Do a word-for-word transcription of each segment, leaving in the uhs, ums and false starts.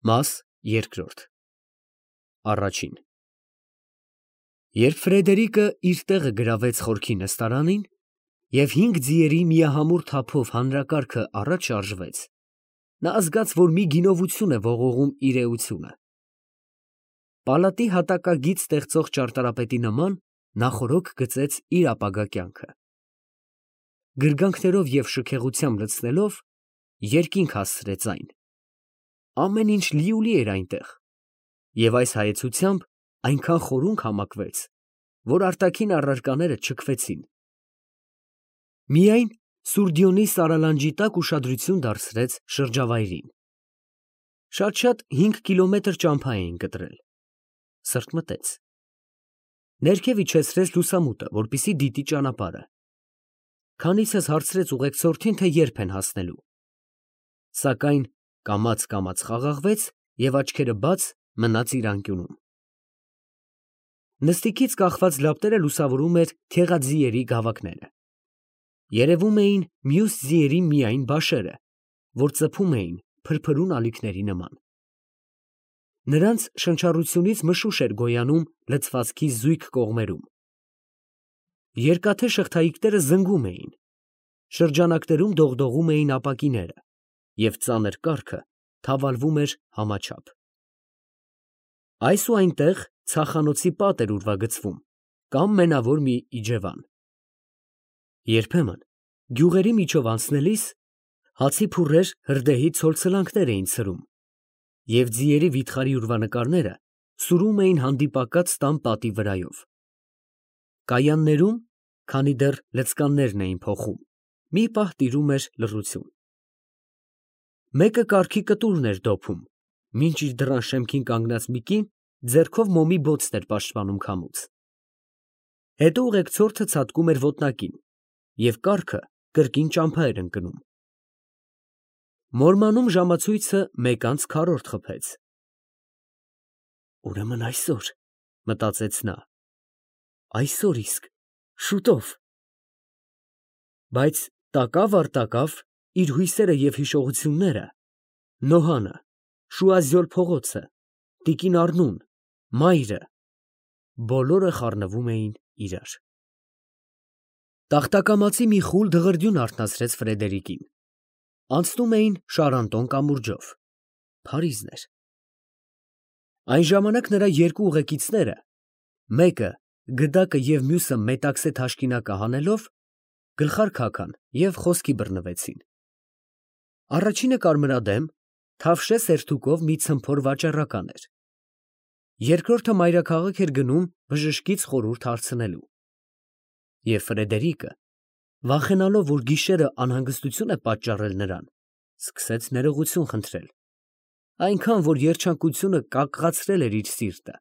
Մաս երկրորդ Առաջին Երբ Ֆրեդերիկը իր տեղը գրավեց խորքի նստարանին և հինգ ձիերի միահամուռ թափով հանրակարգը առաջ շարժվեց, նա զգաց, որ մի գինովություն է ողողում իր էությունը. պալատի հատակագիծ ստեղծող ճարտարապետի նման նա խորհուրդ գծեց իր ապագա կյանքը։ Գրգանքներով և շքեղությամբ լցնելով, երկինք հասցրեց այն. ամեն ինչ լիուլի էր այնտեղ, և այս հայեցությամբ այնքան խորունկ համակվեց, որ արտաքին առարկաները չքվեցին։ Միայն Սուրդյոնի սարալանջի տակ ուշադրություն դարձրեց շրջավայրին։ Շատ֊շատ հինգ կիլոմետր ճամփա էին կտրել։ Սրտմտեց։ Ներքև իջեցրեց լուսամուտը, որպեսզի դիտի ճանապարհը։ Քանիցս հարցրեց ուղեկցորդին, թե երբ են հասնելու։ Սակայն կամաց֊կամաց խաղաղվեց և աչքերը բաց մնաց իր անկյունում։ Նստիքից կախված լապտերը լուսավորում էր քեղաձիերի գավակները։ Երևում էին մյուս ձիերի միայն բաշերը, որ ծփում էին փրփրուն ալիքների նման։ Նրանց շնչառությունից մշուշ էր գոյանում լցվածքի զույգ կողմերում։ Երկաթե շղթայիկները զնգում էին, շրջանակներում դողդողում էին ապակիները, և ծանր կառքը թավալվում էր համաչափ։ Այս ու այնտեղ ցախանոցի պատ էր ուրվագծվում կամ մենավոր մի իջևան։ Երբեմն գյուղերի միջով անցնելիս հացի փուռեր հրդեհի ցոլցլանքներ էին ցրում, և ձիերի վիթխարի ուրվանկարները սուրում էին հանդիպակաց տան պատի վրայով։ Կայաններում, քանի դեռ լցկաններն էին փոխում, մի պահ տիրում էր լռություն։ Մեկը կառքի կտուրն էր դոփում, մինչ իր դռան շեմքին կանգնած մի կին ձեռքով մոմի բոցն էր պաշտպանում քամուց։ Հետո ուղեկցորդը ցատկում էր ոտնակին, և կառքը կրկին ճամփա էր ընկնում։ Մորմանում ժամացույցը մեկ անց քառորդ խփեց։ «Ուրեմն այսօր, ֊ մտածեց նա, ֊ այսօր իսկ, շուտով»։ Բայց տակավ առ տակավ իր հույսերը և հիշողությունները, Նոհանը, Շուազյոլ փողոցը, տիկին Առնուն, մայրը, բոլորը խառնվում էին իրար։ Տախտակամածի մի խուլ դղրդյուն արթնացրեց Ֆրեդերիկին։ Անցնում էին Շարանտոն կամուրջով։ Փարիզն էր։ Այն ժամանակ նրա երկու ուղեկիցները, մեկը գդակը և մյուսը մետաքսե թաշկինակը հանելով, գլխարկ հագան և խոսքի բռնվեցին։ Առաջինը կարմրադեմ, թավշե սերթուկով մի ցմփոր վաճառական էր։ Երկրորդը մայրաքաղաք էր գնում բժշկից խորհուրդ հարցնելու։ Եվ Ֆրեդերիկը, վախենալով, որ գիշերը անհանգստություն է պատճառել նրան, սկսեց ներողություն խնդրել, այնքան, որ երջանկությունը կակղացրել էր իր սիրտը։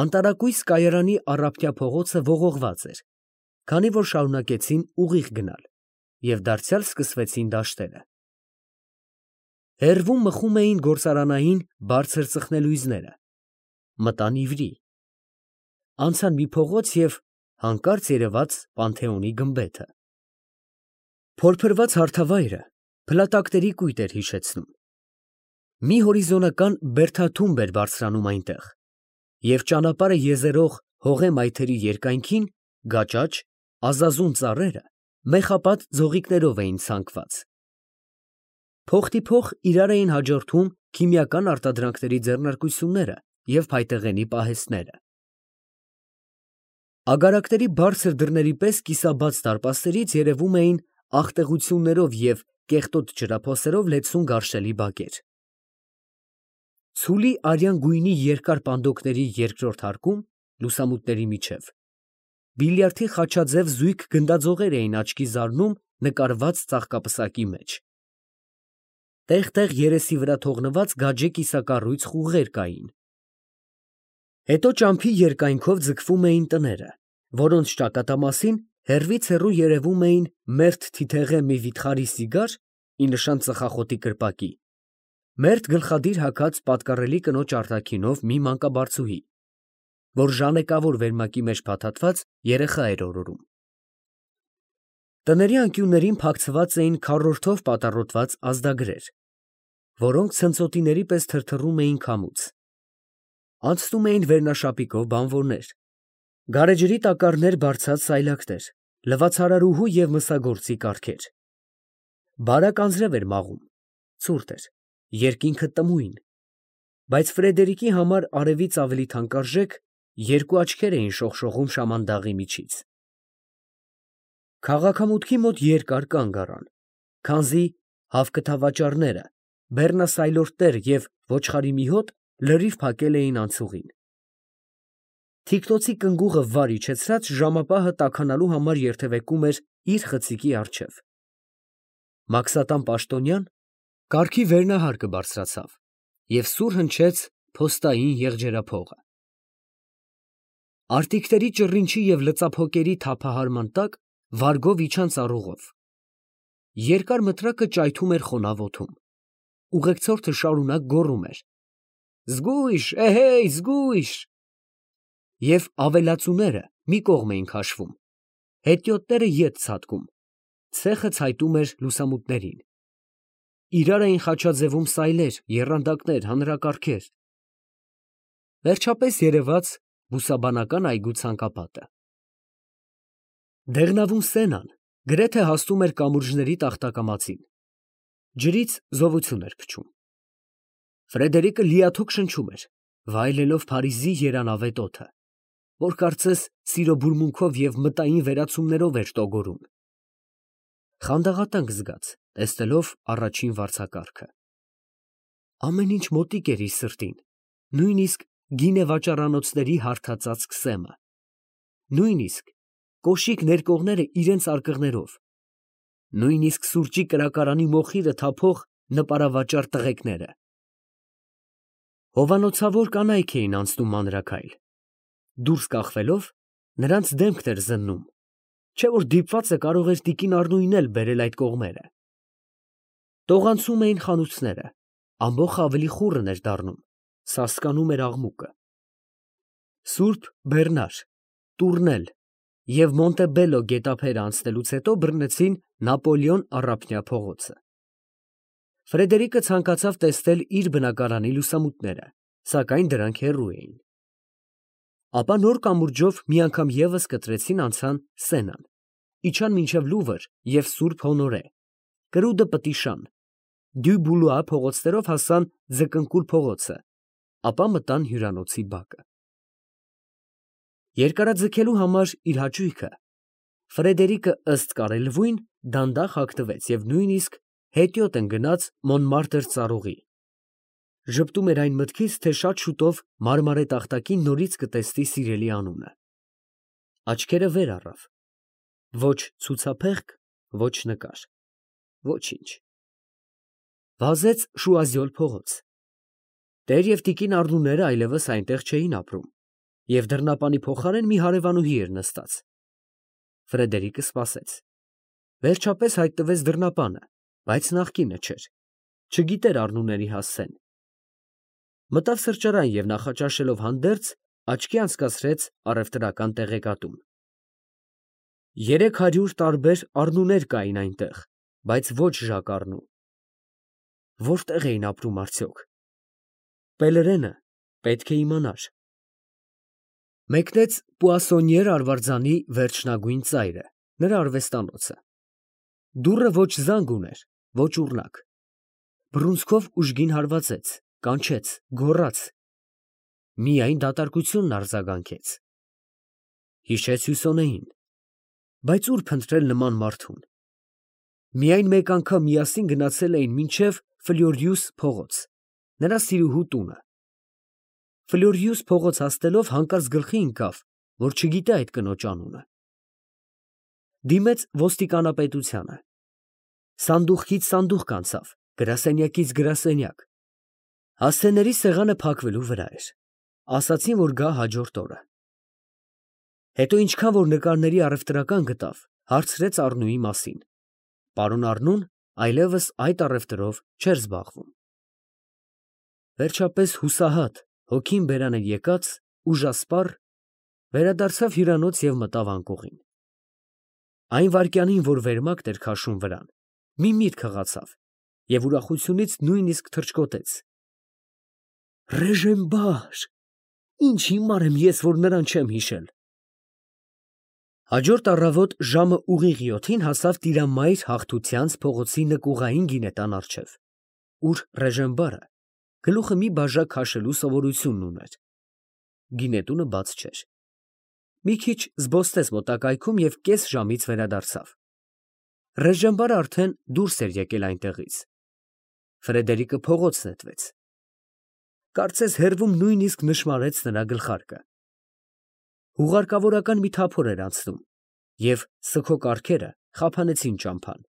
Անտարակույս կայարանի առափնյա փողոցը ողողված էր, քանի որ շարունակեցին ուղիղ գնալ, և դարձյալ սկսվեցին դաշտերը։ Հեռվում մխում էին գործարանային բարձր ծխնելույզները։ Մտան իվրի։ Անցան մի փողոց և հանկարծ երևաց Պանթեոնի գմբեթը։ Փորփրված հարթավայրը փլատակների կույտ էր հիշեցնում։ Մի հորիզոնական բերդաթումբ էր բարձրանում այնտեղ, և ճանապարհը եզերող հողե մայթերի երկայնքին գաճաճ, ազազուն ծառերը մեխապատ ձողիկներով էին ցանկված։ Փոխտիփոխ իրար էին հաջորդում քիմիական արտադրանքների ձեռնարկությունները և փայտեղենի պահեստները։ Ագարակների բարձր դռների պես կիսաբաց դարպասներից երևում էին աղտեղություններով և կեղտոտ ջրափոսերով լեցուն գարշելի բակեր։ Ցուլի արյան գույնի երկար պանդոկների երկրորդ հարկում, լուսամուտների միջև, բիլիարդի խաչաձև զույգ գնդաձողեր էին աչքի զարնում նկարված ծաղկապսակի մեջ։ Տեղ֊տեղ երեսի վրա թողնված գաջե կիսակառույց խուղեր կային։ Հետո ճամփի երկայնքով ձգվում էին տները, որոնց ճակատամասին հեռվից հեռու երևում էին մերթ թիթեղե մի վիթխարի սիգար, ի նշան ծխախոտի կրպակի, մերթ գլխադիր հագած պատկառելի կնոջ արտաքինով մի մանկաբարձուհի, որ ժանեկավոր վերմակի մեջ փաթաթված երեխա էր օրորում։ Տների անկյուններին փակցված էին քառորդով պատառոտված ազդագրեր, որոնք ցնծոտիների պես թրթռում էին քամուց։ Անցնում էին վերնաշապիկով բանվորներ, գարեջրի տակառներ բարձած սայլակներ, լվացարարուհու և մսագործի կառքեր։ Բարակ անձրև էր մաղում, ցուրտ էր, երկինքը տմույն, բայց Ֆրեդերիկի համար արևից ավելի թանկարժեք երկու աչքեր էին շողշողում շամանդաղի միջից։ Քաղաքամուտքի մոտ երկար կանգ առան, քանզի հավկթավաճառները, բեռնասայլորդներ և ոչխարի մի հոտ լրիվ փակել էին անցուղին։ Թիկնոցի կնգուղը վար իջեցրած ժամապահը տաքանալու համար երթևեկում էր իր խցիկի առջև։ Մաքսատան պաշտոնյան կառքի վերնահարկը բարձրացավ և սուր հնչեց փոստային եղջերափողը։ Արտիկների ճռինչի և լծափոկերի թափահարման տակ վարգով իջան ծառուղով։ Երկար մտրակը ճայթում էր խոնավ օդում։ Ուղեկցորդը շարունակ գոռում էր. «Զգույշ, էհեյ, զգույշ»։ Եվ ավելացուները մի կողմ էին քաշվում, հետիոտները ետ ցատկում, ցեխը ցայտում էր լուսամուտներին։ Իրար էին խաչաձևում սայլեր, եռանդակներ, հանրակարգեր… Վերջապես երևաց բուսաբանական այգու ցանկապատը։ Դեղնավուն Սենան գրեթե հասնում էր կամուրջների տախտակամածին, ջրից զովություն էր փչում։ Ֆրեդերիկը լիաթոք շնչում էր, վայելելով Փարիզի երանավետ օդը, որ կարծես սիրո բուրմունքով և մտային վերացումներով էր տոգորում։ Խանդաղատենչ զգաց, տեսնելով առաջին վարձակարգը։ Ամեն ինչ մոտիկ էր իր սրտին, նույնիսկ գինեվաճառանոցների հարդածած քսեմը, նույնիսկ կոշիկ ներկողները իրենց արկղներով, նույնիսկ սուրճի կրակարանի մոխիրը թափող նպարավաճառ տղեկները։ Հովանոցավոր կանայք էին անցնում մանրաքայլ, դուրս կախվելով, նրանց դեմքն էր զննում, չէ՞ որ դիպվածը կարող էր տիկին Առնույնն էլ բերել այդ կողմերը։ Տողանցում էին խանութները, ամբոխը ավելի խուռն էր դառնում, սասկանում էր աղմուկը։ Սուրբ Բեռնար, Տուրնել և Մոնտեբելլո գետափերը անցնելուց հետո բռնեցին Նապոլեոն առափնյա փողոցը։ Ֆրեդերիկը ցանկացավ տեսնել իր բնակարանի լուսամուտները, սակայն դրանք հեռու էին։ Ապա նոր կամուրջով մի անգամ ևս կտրեցին անցան Սենան, իջան մինչև Լուվր և Սուրբ Հոնորե, կրուդը Պտիշան, Դյու Բուլուա փողոցներով հասան Ձկնկուլ փողոցը, ապա մտան հյուրանոցի բակը։ Երկարաձգելու համար իր հաճույքը Ֆրեդերիկը ըստ կարելվույն դանդաղ հագնվեց և նույնիսկ հետիոտ ընկնաց Մոնմարտր ծառուղի։ Ժպտում էր այն մտքից, թե շատ շուտով մարմարե տախտակին նորից կտեսնի սիրելի անունը։ Աչքերը վեր առավ. ոչ ցուցափեղկ, ոչ նկար, ոչինչ։ Վազեց Շուազյոլ փողոց։ Տեր և տիկին Առնուները այլևս այնտեղ չէին ապրում, և դռնապանի փոխարեն մի հարևանուհի էր նստած։ Ֆրեդերիկը սպասեց։ Վերջապես հայտնվեց դռնապանը, բայց նախկինը չէր, չգիտեր Առնուների հասցեն։ Մտավ սրճարան և նախաճաշելով հանդերձ, աչքի անցկացրեց առևտրական տեղեկատուն։ Երեք հարյուր տարբեր Առնուներ կային այնտեղ, բայց ոչ Ժակ Առնու։ Որտե՞ղ էին ապրում արդյոք։ Պելերենը պետք է իմանար։ Մեկնեց Պուասոնիեր արվարձանի վերջնագույն ծայրը, նրա արվեստանոցը։ Դուռը ոչ զանգ ուներ, ոչ ուռնակ։ Բռունցքով ուժգին հարվածեց, կանչեց, գոռաց։ Միայն դատարկությունն արձագանքեց։ Հիշեց Հյուսոնեին։ Բայց ո՞ւր փնտրել նման մարդուն։ Միայն մեկ անգամ միասին գնացել էին մինչև Ֆլյորիուս փողոց, նրա սիրուհու տունը։ Ֆլյորիուս փողոց հասնելով հանկարծ գլխի ընկավ, որ չգիտե այդ կնոջ անունը։ Դիմեց ոստիկանապետությանը։ Սանդուղքից սանդուղք անցավ, գրասենյակից գրասենյակ։ Հասցեների սեղանը փակվելու վրա էր։ Ասացին, որ գա հաջորդ օրը։ Հետո ինչքան որ նկարների առևտրական գտավ, հարցրեց Առնուի մասին։ Պարոն Առնուն այլևս այդ առևտրով չէր զբաղվում։ Վերջապես հուսահատ, հոգին բերան էր եկած, ուժասպառ, վերադարձավ հյուրանոց և մտավ անկողին։ Այն վայրկյանին, որ վերմակն էր քաշում վրան, մի միտք հղացավ, և ուրախությունից նույնիսկ թռչկոտեց։ Ռեժենբար, ինչ հիմար եմ ես, որ նրան չեմ հիշել։ Հաջորդ առավոտ ժամը ուղիղ յոթին հասավ Տիրամայր Հաղթությանց փողոցի նկուղային գինետան առջև, ուր Ռեժենբարը գլուխը մի բաժակ քաշելու սովորությունն ուներ։ Գինետունը բաց չէր։ Մի քիչ զբոսնեց մոտակայքում և կես ժամից վերադարձավ։ Ռեժենբարը արդեն դուրս էր եկել այնտեղից։ Ֆրեդերիկը փողոց նետվեց։ Կարծես հեռվում նույնիսկ նշմարեց նրա գլխարկը։ Հուղարկավորական մի թափոր էր անցնում, և սգո կառքերը խափանեցին ճամփան։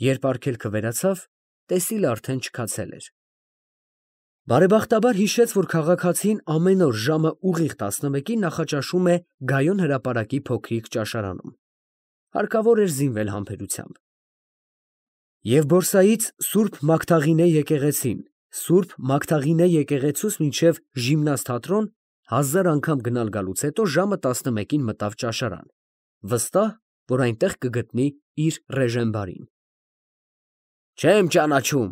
Երբ արգելքը վերացավ, տեսիլը արդեն չքացել էր։ Բարեբախտաբար հիշեց, որ քաղաքացին ամեն օր ժամը ուղիղ տասնմեկին նախաճաշում է Գայոն հրապարակի փոքրիկ ճաշարանում։ Հարկավոր էր զինվել համբերությամբ։ Եվ բորսայից Սուրբ Մագդաղինե եկեղեցին, Սուրբ Մագդաղինե եկեղեցուց մինչև Ժիմնաստ֊թատրոն հազար անգամ գնալ գալուց հետո ժամը տասնմեկին մտավ ճաշարան, վստահ, որ այնտեղ կգտնի իր Ռեժենբարին։ Չեմ ճանաչում,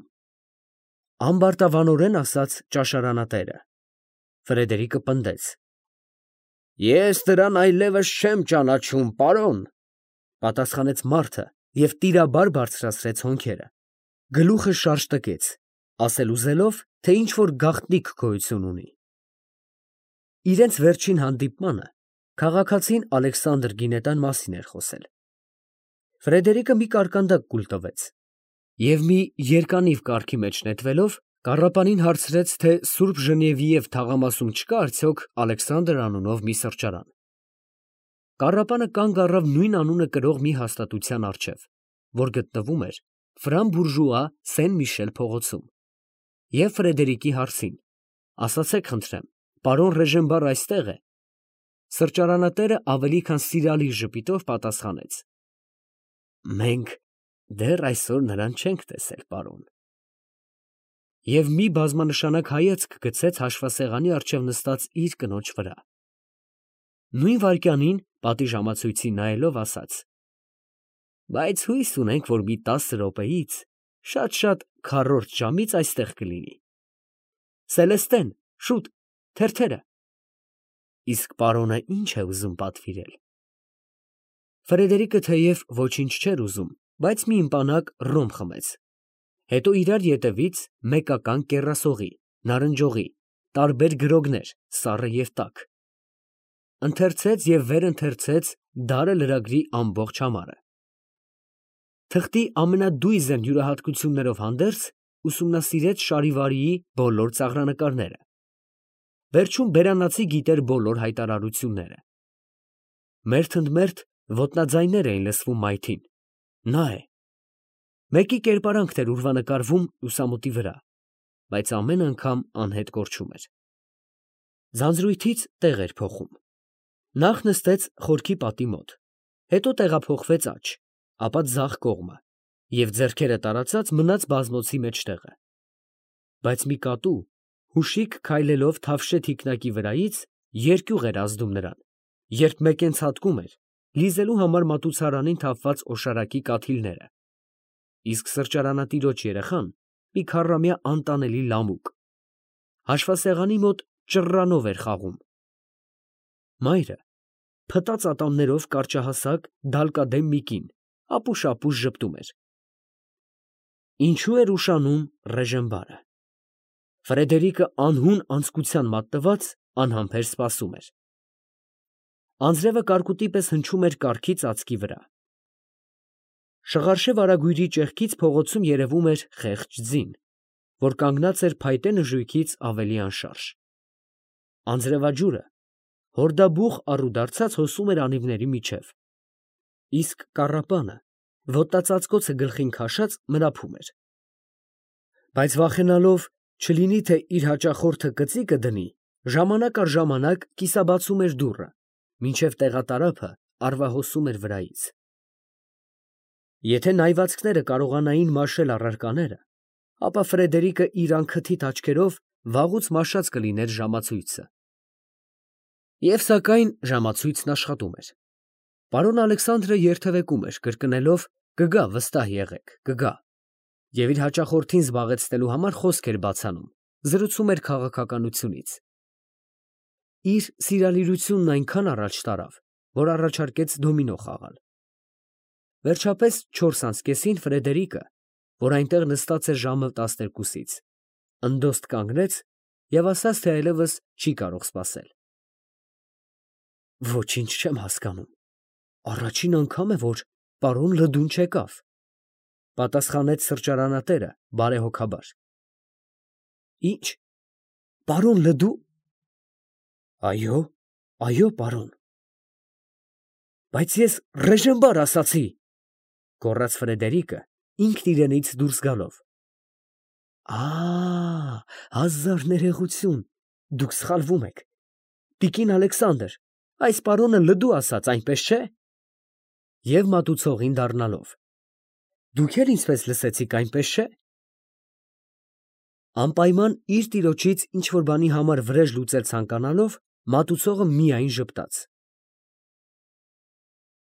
ամբարտավանորեն ասաց ճաշարանատերը։ Ֆրեդերիկը պնդեց. Ես նրան այլևս չեմ ճանաչում, պարոն, պատասխանեց մարդը և տիրաբար բարձրացրեց հոնքերը, գլուխը շարժ տկեց, ասել ուզելով, թե ինչ֊որ գաղտնիք գոյություն ունի։ Իրենց վերջին հանդիպմանը քաղաքացին Ալեքսանդր Գինետան մասին էր խոսել։ Ֆրեդերիկը մի կարկանդակ կուլ տվեց և մի երկանիվ կառքի մեջ նետվելով կառապանին հարցրեց, թե Սուրբ Ժնևիև թաղամասում չկա արդյոք Ալեքսանդր անունով մի սրճարան։ Կառապանը կանգ առավ նույն անունը կրող մի հաստատության առջև, որ գտնվում էր Ֆրան֊Բուրժուա Սեն֊Միշել փողոցում, և Ֆրեդերիկի հարցին. ասացեք խնդրեմ, պարոն Ռեժենբար այստե՞ղ է, սրճարանատերը ավելի քան սիրալիր ժպիտով պատասխանեց. Մենք դեռ այսօր նրան չենք տեսել, պարոն։ Եվ մի բազմանշանակ հայացք գցեց հաշվասեղանի առջև նստած իր կնոջ վրա։ Նույն վայրկյանին, պատիժամացույցին նայելով, ասաց. Բայց հույս ունենք, որ մի տասը րոպեից, շատ֊շատ քառորդ ժամից այստեղ կլինի։ Սելեստեն, շուտ, թերթերը։ Իսկ պարոնը ի՞նչ է ուզում պատվիրել։ Ֆրեդերիկը թեև ոչինչ չէր ուզում, բայց մի ըմպանակ ռոմ խմեց։ Հետո իրար ետևից մեկական կեռասողի, նարնջողի, տարբեր գրոգներ, սառը և տաք։ Ընթերցեց և վերընթերցեց դարը լրագրի ամբողջ համարը։ Թղթի ամենադույզն յուրահատկություններով հանդերձ ուսումնասիրեց Շարիվարիի բոլոր ծաղրանկարները։ Վերջում բերանացի գիտեր բոլոր հայտարարությունները։ Մերթ ընդ մերթ ոտնաձայներ էին լսվում մայթին. նա է։ Մեկի կերպարանքն էր ուրվանկարվում լուսամուտի վրա, բայց ամեն անգամ անհետ կորչում էր։ Ձանձրույթից տեղ էր փոխում։ Նախ նստեց խորքի պատի մոտ, հետո տեղափոխվեց աջ, ապա ձախ կողմը և ձեռքերը տարածած մնաց բազմոցի մեջտեղը։ Բայց մի կատու, հուշիկ քայլելով թավշե թիկնակի վրայից, երկյուղ էր ազդում նրան, երբ մեկենցհատկում էր, լիզելու համար մատուցարանին թափված օշարակի կաթիլները, իսկ սրճարանատիրոջ երեխան մի քառամյա անտանելի լամուկ, հաշվասեղանի մոտ ճռռանով էր խաղում։ Մայրը փտած ատամներով կարճահասակ, դալկադեմ մի կին, ապուշ֊ապուշ ժպտում էր։ Ինչո՞ւ էր ուշանում Ռեժենբարը։ Ֆրեդերիկը անհուն անձկության մատնված անհամբեր սպասում էր։ Անձրևը կարկուտի պես հնչում էր կառքի ծածկի վրա։ Շղարշե վարագույրի ճեղքից փողոցում երևում էր խեղճ ձին, որ կանգնած էր փայտե նժույգից ավելի անշարժ։ Անձրևաջուրը հորդաբուխ առուդարձած հոսում էր անիվների միջև, իսկ կառապանը, ոտնածածկոցը գլխին քաշած, մրափում էր։ Բայց վախենալով, չլինի թե իր հաճախորդը կծիկը դնի, ժամանակ առ ժամանակ կիսաբացում էր դուռը, մինչև տեղատարափը արվահոսում էր վրայից։ Եթե նայվածքները կարողանային մաշել առարկաները, ապա Ֆրեդերիկը իր անքթիթ աչքերով վաղուց մաշած կլիներ ժամացույցը։ Եվ սակայն ժամացույցն աշխատում էր։ Պարոն Ալեքսանդրը երթևեկում էր, կրկնելով. «Կգա, վստահ եղեք, կգա»։ Եվ իր հաճախորդին զբաղեցնելու համար խոսք էր բացանում, զրուցում էր քաղաքականությունից։ Իր սիրալիրությունն այնքան առաջ տարավ, որ առաջարկեց դոմինո խաղալ։ Վերջապես չորս անց կեսին Ֆրեդերիկը, որ այնտեղ նստած էր ժամը տասներկուսից, ընդոստ կանգնեց և ասաց, թե այլևս չի կարող սպասել։ Ոչինչ չեմ հասկանում, առաջին անգամ է, որ պարոն Լդուն չեկավ, պատասխանեց սրճարանատերը բարեհոգաբար։ Ի՞նչ, պարոն Լդու… Այո, այո, պարոն։ Բայց ես ռեժիմբար ասացի, գոռաց Ֆրեդերիկը, ինքն իրենից դուրս գալով։ Ա, հազար ներողություն, դուք սխալվում եք, տիկին Ալեքսանդր, այս պարոնը Լդու ասաց, այնպես չէ։ Եվ մատուցողին դառնալով. Դուք էլ ինձպես լսեցիք, այնպես չէ։ Անպայման իր տիրոջից ինչ֊որ բանի համար վրեժ լուծել ցանկանալով, մատուցողը միայն ժպտաց։